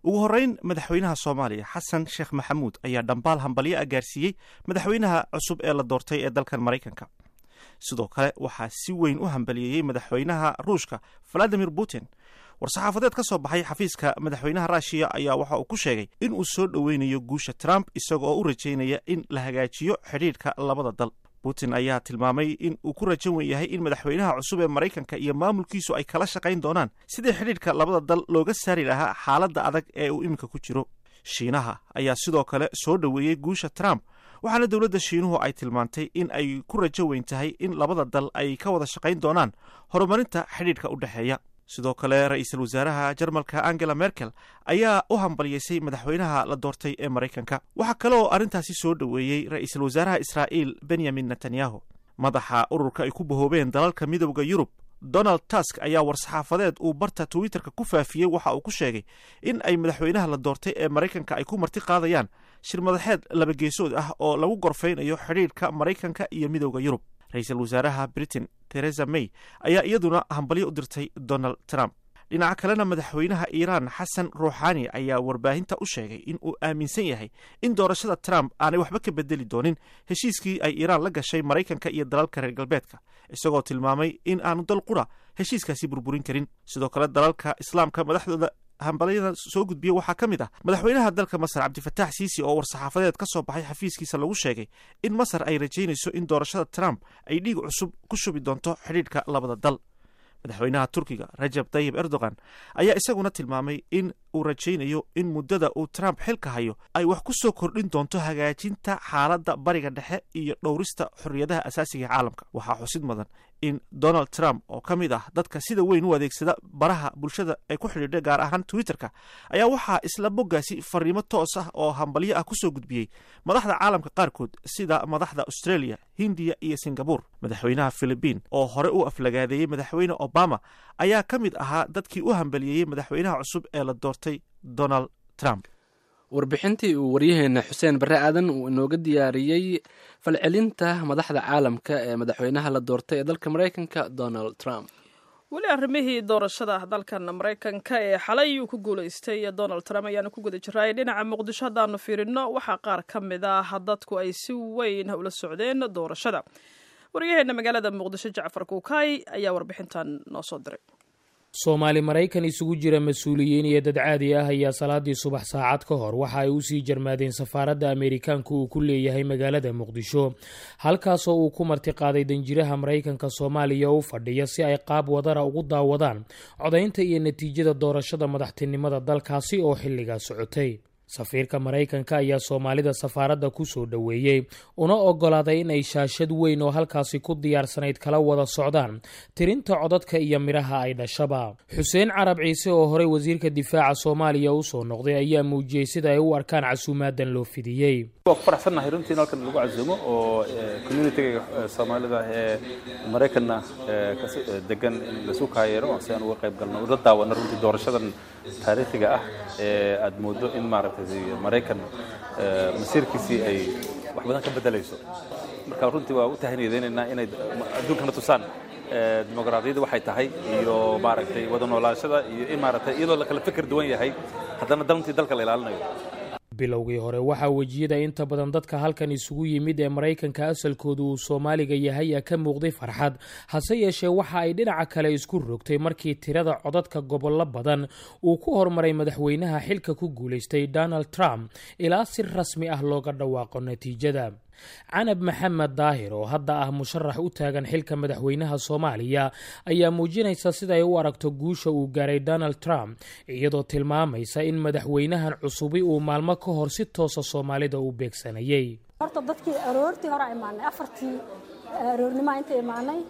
Ugu horreyn, madaxweynaha Soomaaliya Xasan Sheekh Maxamuud ayaa dhambaal hambalyo ah gaarsiiyey madaxweynaha cusub ee la doortay ee dalkan Maraykanka. Sidoo kale waxaa si weyn u hambaliyeeyey madaxweynaha Ruushka Valadimir Putin. War-saxaafadeed ka soo baxay xafiiska madaxweynaha Ruushiya ayaa waxa uu ku sheegay in uu soo dhoweynayo guusha Trump, isaga oo u rajaynaya in la hagaajiyo xidhiidhka labada dal. Putin ayaa tilmaamay in uu ku rajan wen yahay in madaxweynaha cusub ee Maraykanka iyo maamulkiisu ay kala shaqayn doonaan sidii xidhiidhka labada dal looga saari lahaa xaaladda adag ee uu iminka ku jiro. Shiinaha ayaa sidoo kale soo dhoweeyey guusha Trump, waxaana dowladda Shiinuhu ay tilmaantay in ay ku rajo weyn tahay in labada dal ay ka wada shaqayn doonaan horumarinta xidhiidhka u dhexeeya. Sidoo kale, ra-iisul wasaaraha Jarmalka Angela Merkel ayaa u hambalyeysay madaxweynaha la doortay ee Maraykanka. Waxaa kale oo arrintaasi soo dhoweeyey ra-iisul wasaaraha Israa'iil Benyamin Netanyahu. Madaxa ururka ay ku bahoobeen dalalka Midowda Yurub Donald Tusk ayaa war-saxaafadeed uu barta Twitterka ku faafiyey waxa uu ku sheegay in ay madaxweynaha la doortay ee Maraykanka ay ku marti qaadayaan shir madaxeed laba geesood ah oo lagu gorfaynayo xidhiidhka Maraykanka iyo Midowda Yurub. Ra-iisul wasaaraha Britain Theresa May ayaa iyaduna hambalyo u dirtay Donald Trump. Dhinaca kalena, madaxweynaha Iiraan Xasan Ruuxaani ayaa warbaahinta u sheegay in uu aaminsan yahay in doorashada Trump aanay waxba ka bedeli doonin heshiiskii ay Iiraan la gashay Maraykanka iyo dalalka reer galbeedka, isagoo tilmaamay in aanu dal qura heshiiskaasi burburin karin. Sidoo kale, dalalka Islaamka madaxdooda hambalyada soo gudbiya waxaa ka mid ah madaxweynaha dalka Masar Cabdifataax Siisi, oo war-saxaafadeed ka soo baxay xafiiskiisa lagu sheegay in Masar ay rajaynayso in doorashada Trump ay dhiig cusub ku shubi doonto xidhiidhka labada dal. Madaxweynaha Turkiga Rajab Tayib Erdogan ayaa isaguna tilmaamay in uu rajaynayo in muddada uu Trump xilka hayo ay wax ku soo kordhin doonto hagaajinta xaaladda Bariga Dhexe iyo dhowrista xorriyadaha asaasiga ee caalamka. Waxaa xusid mudan in Donald Trump, oo ka mid ah dadka sida weyn u adeegsada baraha bulshada ay ku xidhiidha, gaar ahaan Twitterka, ayaa waxaa isla boggaasi fariimo toos ah oo hambalyo ah kusoo gudbiyey madaxda caalamka qaarkood, sida madaxda Australia, Hindiya iyo Singapore. Madaxweynaha Philibiin, oo hore u aflagaadeeyey madaxweyne Obama, ayaa ka mid ahaa dadkii u hambaliyeeyey madaxweynaha cusub ee la doortay Donald Trump. Warbixintii uu waryaheena Xuseen Barre Aadan uu inooga diyaariyey falcelinta madaxda caalamka ee madaxweynaha la doortay ee dalka Maraykanka Donald Trump. Weli arrimihii doorashada dalkan Maraykanka ee xalay uu ku guulaystay Donald Trump ayaanu ku guda jiray. Dhinaca Muqdisho haddaanu fiirino, waxaa qaar ka mid ah dadku ay si weyn ula socdeen doorashada. Waryaheena magaalada Muqdisho Jacfar Kuukay ayaa warbixintan noo soo diray. Soomaali Maraykan isugu jira mas-uuliyiin iyo dad caadi ah ayaa salaadii subax saacad ka hor waxa ay usii jarmaadeen safaaradda Ameerikaanku uu ku leeyahay magaalada Muqdisho, halkaasoo uu ku martiqaaday danjiraha Maraykanka Soomaaliya u fadhiya, si ay qaab wadara ugu daawadaan codaynta iyo natiijada doorashada madaxtinimada dalkaasi oo xilligaa socotay. Safiirka Maraykanka ayaa Soomaalida safaaradda ku soo dhoweeyey, una ogolaaday inay shaashad weyn oo halkaasi ku diyaarsanayd kala wada socdaan tirinta codadka iyo midhaha ay dhashaba. Xuseen Carab Ciise, oo horey wasiirka difaaca Soomaaliya usoo noqday, ayaa muujiyey sida ay u arkaan casuumaadan loo fidiyey. Waa ku faraxsannahay runtii in halkan lagu casuumo oo communitiga Soomaalida ee Maraykanna degan in lasu kaayeero si aan uga qayb galno, ula daawano runtii doorashadan taariikhiga ah ee aad moodo in maaragtay Maraykan masiirkiisii ay wax badan ka bedelayso. Marka runtii waa u tahaniyadeynaynaa inay adduunkana tusaan dimuqraadiyadda waxay tahay iyo maaragtay wada noolaashada iyo in maaragtay iyadoo la kala fikir duwan yahay haddana dantii dalka la ilaalinayo. Bilowgii hore waxaa wejiyada inta badan dadka halkan isugu yimid ee Maraykanka asalkoodu uu Soomaaliga yahay ka muuqday farxad, hase yeeshee waxa ay dhinaca kale isku rogtay markii tirada codadka gobollo badan uu ku horumaray madaxweynaha xilka ku guulaystay Donald Trump ilaa si rasmi ah looga dhawaaqo natiijada. Canab Maxamed Daahir, oo hadda ah musharax u taagan xilka madaxweynaha Soomaaliya, ayaa muujinaysa sida ay u aragto guusha uu gaaray Donald Trump, iyadoo tilmaamaysa in madaxweynahan cusubi uu maalmo ka hor si toosa Soomaalida u beegsanayay. Horta dadkii aroortii hore imaanay, 4tii aroornimaa inta imaanay,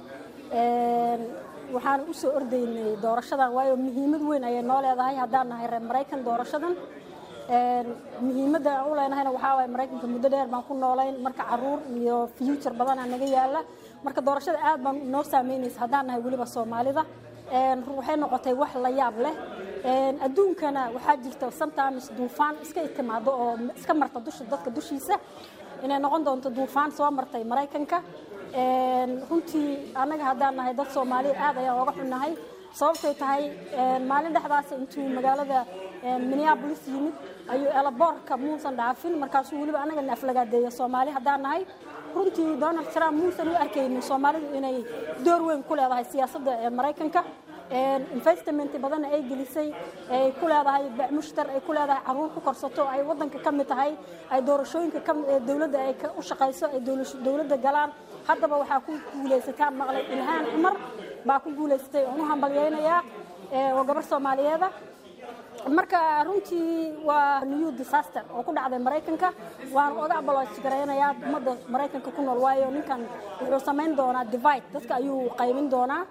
waxaan u soo ordaynay doorashadan, waayo muhiimad weyn ayay noo leedahay haddaan nahay reer Maraykan. Doorashadan muhiimadda aan u leenahayna waxaa waaye Maraykanka muddo dheer baan ku noolayn, marka caruur iyo future badanaa naga yaala. Marka doorashada aad baan noo saameynaysa haddaan nahay weliba Soomaalida. Waxay noqotay wax la yaab leh. Adduunkana waxaa jirta sometimes duufaan iska timaado oo iska marta dusha dadka dushiisa, inay noqon doonto duufaan soo martay Maraykanka. Runtii annaga haddaan nahay dad Soomaaliya aad ayaan oga xunnahay, sababtay tahay maalin dhexdaas intuu magaalada Minneapolis yimid ayuu airportka muusan dhaafin, markaasuu weliba annaga na aflagaadeeya Soomaali haddaan nahay. Runtii Donald Trump muusan u arkaynin Soomaalidu inay door weyn ku leedahay siyaasadda ee Maraykanka, investment badanna ay gelisay, ay ku leedahay mushtar, ay ku leedahay caruur ku korsato, ay wadanka ka mid tahay, ay doorashooyinka dowladda ay u shaqayso, ay dowladda galaan. Haddaba waxaa ku guulaysataa maqlay Ilhaan Cumar baa ku guulaysatay, oon u hambalyaynayaa, oo gabar Soomaaliyeeda. Marka runtii waa new disaster oo ku dhacday Maraykanka. Waan oga apology garaynayaa ummadda Maraykanka ku nool, waayo ninkan wuxuu samayn doonaa divide, dadka ayuu qaybin doonaa.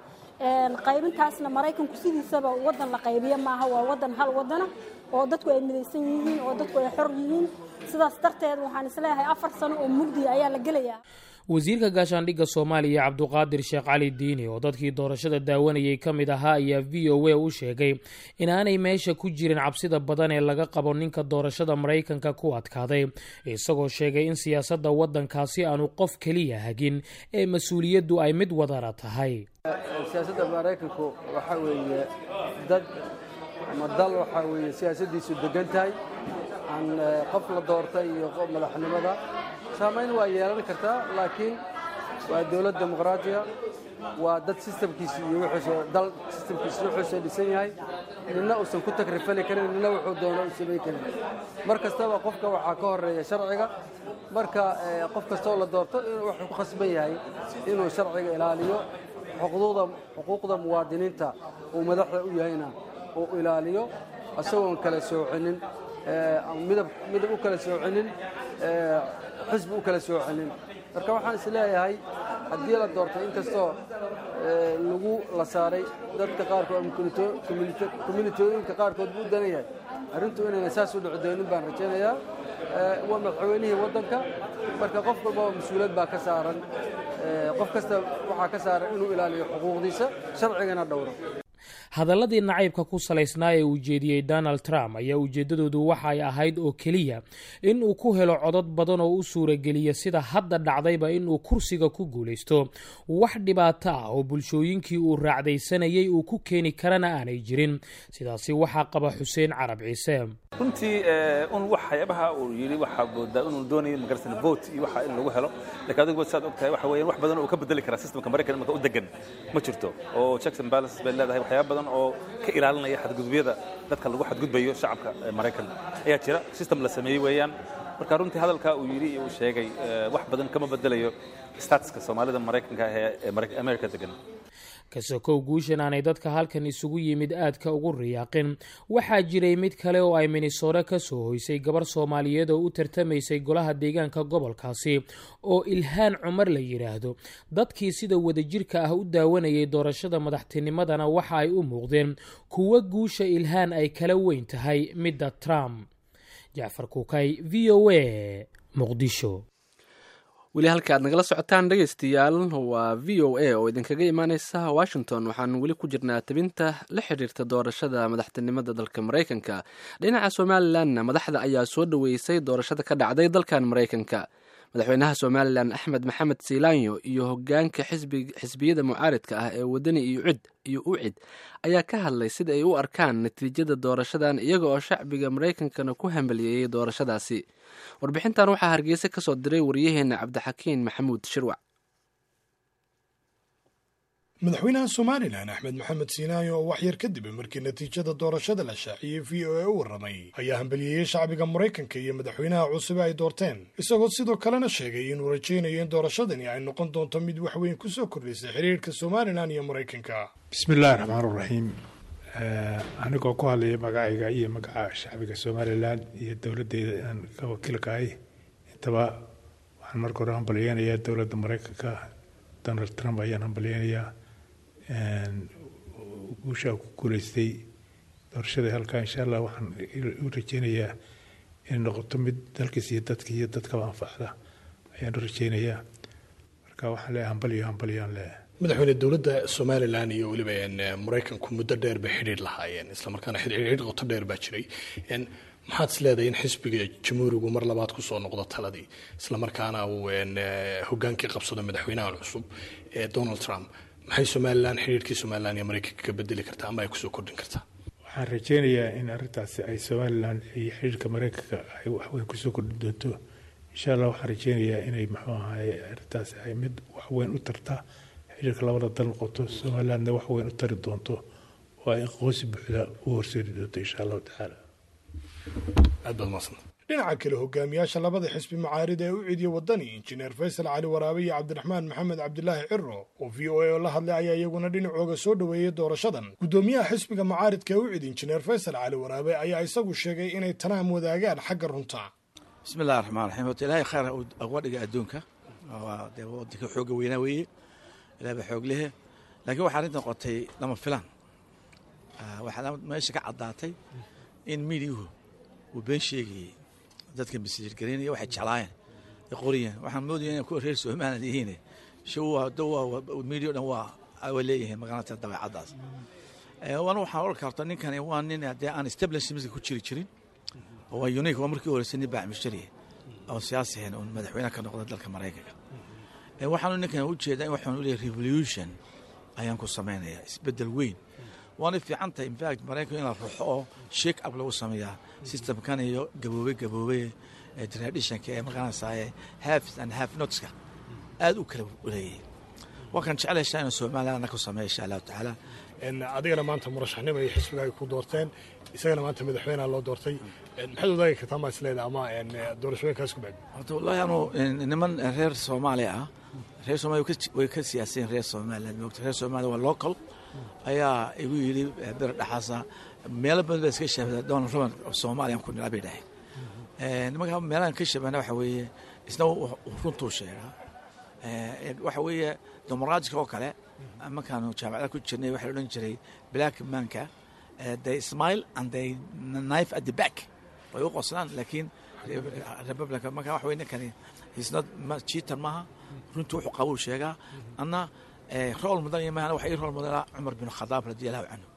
Qaybintaasna Maraykanku sidiisaba wadan la qaybiyo maaha, waa wadan hal wadana oo dadku ay midaysan yihiin oo dadku ay xor yihiin. Sidaas darteed waxaan isleeyahay 4 sano oo mugdi ayaa la gelayaa. Wasiirka gaashaandhigga Soomaaliya Cabduqaadir Sheekh Cali Diini, oo dadkii doorashada daawanayay ka mid ahaa, ayaa VOA u sheegay inaanay meesha ku jirin cabsida badan ee laga qabo ninka doorashada Maraykanka ku adkaaday, isagoo sheegay in siyaasadda waddankaasi aanu qof keliya hagin ee mas-uuliyaddu ay mid wadara tahay. Siyaasadda Maraykanku waxaa weeye dad ama dal waxaa weeye siyaasaddiisu degan tahay. Aan qof la doortay iyo madaxnimada saamayn waa yeelan kartaa, laakiin waa dowlad dimuqraatiya, waa dad systemkiisi iyo wuxuuse dal systemkiisi wuxuuse dhisan yahay, nina uusan ku takrifali karin, nina wuxuu doono u samayn karin. Mar kastaba qofka waxaa ka horeeya sharciga. Marka qof kastoo la doorto wuxuu ku khasban yahay inuu sharciga ilaaliyo, xuquuqda muwaadiniinta uu madaxda u yahayna uu ilaaliyo, isagoon kala soocinin midab, midab u kala soocinin, xisbi u kala soocinin. Marka waxaan is leeyahay haddii la doortay, inkastoo lagu la saaray dadka qaarkood ama communitooyinka qaarkood buu u danan yahay, arrintu inayna saas u dhici doonin baan rajaynayaa. Waa madaxweynihii waddanka, marka qof walbaba mas-uuliyad baa ka saaran. Qof kasta waxaa ka saaran inuu ilaaliyo xuquuqdiisa, sharcigana dhowro. Hadalladii nacaybka ku salaysnaa ee uu jeediyey Donald Trump ayaa ujeeddadoodu waxa ay ahayd oo keliya in uu ku helo codod badan oo u suurageliya, sida hadda dhacdayba, inuu kursiga ku guulaysto. Wax dhibaato ah oo bulshooyinkii uu raacdaysanayay uu ku keeni karana aanay jirin. Sidaasi waxaa qaba Xuseen Carab Ciise. Runtii un waxyaabaha uu yidhi waxaa moodaa inuu doonayo magarsan vote iyo waxa in lagu helo, laakiin adigu saad og tahay waxa weeyaan wax badan oo ka bedeli kara systemka Maraykan imika u degan ma jirto, oo checks and balances bay leedahay. Waxyaaba badan oo ka ilaalinaya xadgudubyada dadka lagu xadgudbayo shacabka Maraykan ayaa jira, system la sameeyey weeyaan. Marka runtii hadalka uu yidhi iyo uu sheegay wax badan kama bedelayo statuska Soomaalida Maraykanka ee America degan. Kasokow guushan aanay dadka halkan isugu yimid aadka ugu riyaaqin, waxaa jiray mid kale oo ay Minnesota ka soo hoysay gabar Soomaaliyeed oo u tartamaysay golaha deegaanka gobolkaasi oo Ilhaan Cumar la yidhaahdo. Dadkii sida wadajirka ah u daawanayay doorashada madaxtinimadana waxa ay u muuqdeen kuwo guusha Ilhaan ay kala weyn tahay midda Trump. Jacfar Kuukay, VOA, Muqdisho. Weli halka aad nagala socotaan, dhegeystayaal, waa VOA oo idinkaga imaaneysa Washington. Waxaan weli ku jirnaa tabinta la xiriirta doorashada madaxtinimada dalka Maraykanka. Dhinaca Somalilandna, madaxda ayaa soo dhoweysay doorashada ka dhacday dalkan Maraykanka. Madaxweynaha Somalilan Axmed Maxamed Siilaanyo iyo hogaanka xisbiyada mucaaridka ah ee Wadani iyo Cid iyo Ucid ayaa ka hadlay sida ay u arkaan natiijada doorashadan, iyaga oo shacbiga Maraykankana ku hambaliyeeyey doorashadaasi. Warbixintan waxaa Hargeysa ka soo diray wariyaheena Cabdixakiin Maxamuud Shirwac. Madaxweynaha Somalilan Axmed Maxamed Siinaayo oo wax yar kadib markii natiijada doorashada la shaaciyey VOA u warramay ayaa hambaliyeeyey shacbiga Maraykanka iyo madaxweynaha cusub ay doorteen, isagoo sidoo kalena sheegay inuu rajaynayo in doorashadani ay noqon doonto mid wax weyn ku soo kordhisay xiriirka Somalilan iyo Maraykanka. Bismi illaahi raxmaan raxiim. Anigoo ku hadlaya magacayga iyo magaca shacbiga Somalilan iyo dowladeyda aan ka wakiilkahay intaba, waxaan marka hore hambalyeynayaa dowladda Maraykanka. Donald Trump ayaan hambalyeynayaa guushaa ku guuleystay doorashada halkaa. Insha Allah waxaan u rajeynayaa inay noqoto mid dalkiis iyo dadka iyo dadkaba anfacda ayaan u rajeynayaa. Marka waxaan leeyahay hambalyo, hambalyaan leeyahay. Madaxweyne, dowladda Somalilan iyo weliba Maraykanku muddo dheer bay xidhiir lahaayeen, islamarkaana xidhiir qoto dheer baa jiray. Maxaad is leedahay in xisbiga Jamhuurigu mar labaad kusoo noqdo taladii, islamarkaana uu hogaankii qabsado madaxweynahan cusub ee Donald Trump, maxay Somalilan, xidhiirkii Somalilan iyo Maraykanka ka bedeli kartaa ama ay kusoo kordhin kartaa? Waxaan rajeynayaa in arrintaasi ay Somalilan iyo xidhiirka Maraykanka ay waxweyn kusoo kordhin doonto insha Allah. Waxaan rajeynayaa inay, muxuu ahaye, arrintaasi ay mid waxweyn u tarta xidhiirka labada dal noqoto, Somalilandna wax weyn u tari doonto oo ay aqoonsi buuxda u horseedi doonto insha Allahu tacaala. Aad baad mahadsanta. Dhinaca kale, hogaamiyaasha labada xisbi mucaarida ee Ucid iyo Wadani, Injineer Faysal Cali Waraabe iyo Cabdiraxmaan Maxamed Cabdilaahi Ciro, oo VOA oo la hadlay ayaa iyaguna dhinacooga soo dhoweeyey doorashadan. Guddoomiyaha xisbiga mucaaridka ee Ucid, Injineer Faysal Cali Waraabe, ayaa isagu sheegay inay tanaam wadaagaan xagga runta. Bismi illahi raxmaan raxiim. Horta Ilaahay khayr uga dhiga adduunka. Waa dee wadanka xooga weynaa weeye, Ilahay baa xoog lehe, laakiin waxaa arrinta noqotay lama filaan. Waxaa meesha ka caddaatay in miidiyuhu uu been sheegayey, dadka misliirgaraynaya, waxay jeclaayeen ay qoriyeen. Waxaan moodaya inay kuwa reer Somaliland yihiin miidiya o dhan waa leeyihiin magaalada dabeecaddaas. Wana waxaan oran karta ninkani waa nin dee aan establishmentka ku jiri jirin oo waa unique. Waa markii horeysa nin baac mushtari oo siyaasi ahayn oo madaxweyne ka noqda dalka Maraykanka. Waxaanu ninkan ujeedaa in waxaan u leeyahay revolution ayaan ku samaynayaa, isbeddel weyn. Waana fiican tahay, in fact, Maraykanku in la ruxo oo shake up lagu sameeyaa systemkan iyo gaboobey gaboobey traditionka ee maqanaysaa haves and have notska aad u kala leeyahay. Waa kan jeclaysaa inuu Somaliland ku sameeyo insha Allahu tacaala. Adigana maanta murashaxnimo iyo xisbiga ay ku doorteen, isagana maanta madaxweynaha loo doortay. Maxaad wadaagi kartaa ma isleeda ama doorashooyinkaas ku bacdi? Horta wallahi anu niman reer Soomaaliya ah, reer Soomaaliya way ka siyaaseen reer Somaliland, moogta. Reer Soomaaliya waa local ayaa igu yidhi bir dhaxaasa meelo badan baa iska shaabada Donald Trump oo Soomaaliya ku nilaa bay dhaheen. Nimanka meelahan ka shabahna waxa weeye isna runtuu sheegaa. Waxa weeye dimuqraadika oo kale, markaanu jaamacada ku jirnay waxaa la odhan jiray black manka, they smile and they knife at the back, way u qoslaan, laakiin Republican marka waxa weye ninkani he's not cheater maaha, runtii wuxuu qabuu sheegaa. Anna role model maaha, waxa ii role modela Cumar bin Khadaab radiallahu canhu,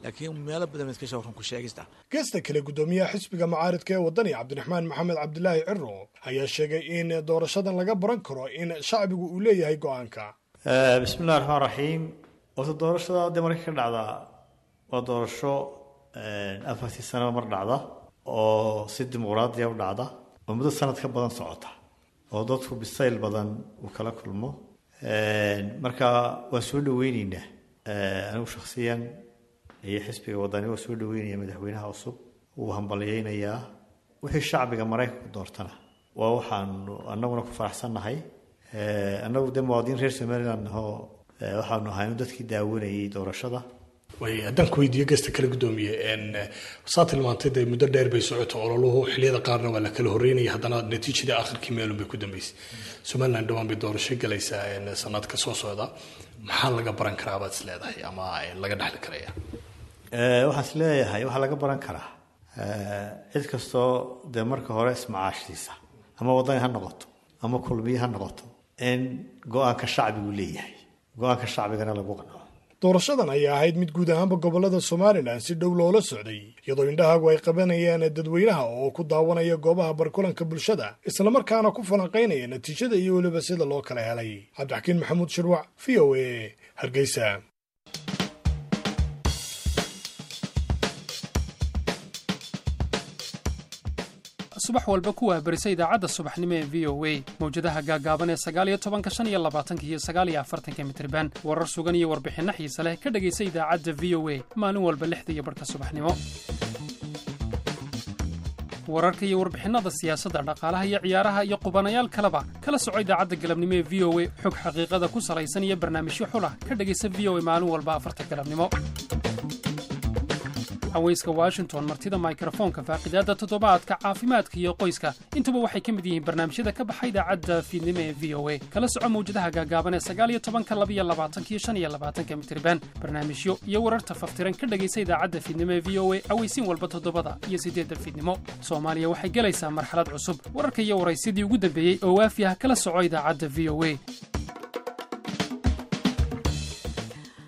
laakiin meelo badan iska soo run ku sheegista. Geesta kale, guddoomiyaha xisbiga mucaaridka ee Wadani Cabdiraxmaan Maxamed Cabdilaahi Ciro ayaa sheegay in doorashadan laga baran karo in shacbigu uu leeyahay go-aanka. Bismi illahi raxmaan raxiim. Horta doorashada dee marka ka dhacda waa doorasho 4-tii sanaba mar dhacda oo si dimuqraadiya u dhacda oo muddo sanad ka badan socota oo dadku bisayl badan uu kala kulmo. Marka waan soo dhaweyneynaa, anigu shakhsiyan iyo xisbiga Wadani waa soo dhaweynaya madaxweynaha cusub, wuu hambalyeynayaa. Wixii shacbiga Maraykanku doortana waa waxaanu annaguna ku faraxsannahay. Annagu dee muwaadiniin reer Somaliland nahoo waxaanu ahay dadkii daawanayay doorashada. Way haddaan ku weydiiyo geesta kale, guddoomiye, saa tilmaantay dee muddo dheer bay socoto ololuhu, xilliyada qaarna waa la kala horreynaya, haddana natiijadii akhirkii meelun bay ku dambeysay. Somaliland dhawaan bay doorasho galaysaa sanadka soo socda. Maxaa laga baran karaa baad is leedahay ama laga dhexli karaya? Waxaan is leeyahay waxaa laga baran karaa cid kastoo dee marka hore ismacaashsiisa, ama Wadani ha noqoto ama Kulmiye ha noqoto, in go-aanka shacbigu leeyahay, go-aanka shacbigana lagu qanco. Doorashadan ayaa ahayd mid guud ahaanba gobollada Somalilan si dhow loola socday, iyadoo indhahaagu ay qabanayaan dadweynaha oo ku daawanaya goobaha barkulanka bulshada, islamarkaana ku falanqaynaya natiijada iyo weliba sida loo kala helay. Cabdixakiin Maxamuud Shirwac, VOA, Hargeysa. Subax walba ku wahbarisa idaacadda subaxnimo ee VOA, mawjadaha gaagaaban ee 19-ka, 25-ka iyo 49-ka mitriban. Warar sugan iyo warbixinno xiise leh ka dhegaysa idaacadda VOA maalin walba 6:30 subaxnimo. Wararka iyo warbixinnada siyaasadda, dhaqaalaha iyo ciyaaraha iyo qubanayaal kaleba kala soco idaacadda galabnimo ee VOA. Xog xaqiiqada ku salaysan iyo barnaamijyo xulah ka dhegaysa VOA maalin walba 4-ta galabnimo. Haweyska Washington, martida mikrofoonka, faaqidaadda toddobaadka, caafimaadka iyo qoyska, intuba waxay ka mid yihiin barnaamijyada ka baxa idaacadda fiidnimo ee VOA. Kala soco mawjadaha gaagaaban ee 19-ka, 22-ka iyo 25-ka mitriban. Barnaamijyo iyo wararta faftiran ka dhegaysa idaacadda fiidnimo ee VOA aweysiin walba 7-da iyo 8-da fiidnimo. Soomaaliya waxay gelaysaa marxalad cusub. Wararka iyo waraysidii ugu dambeeyey oo waafi ah kala soco idaacadda VOA.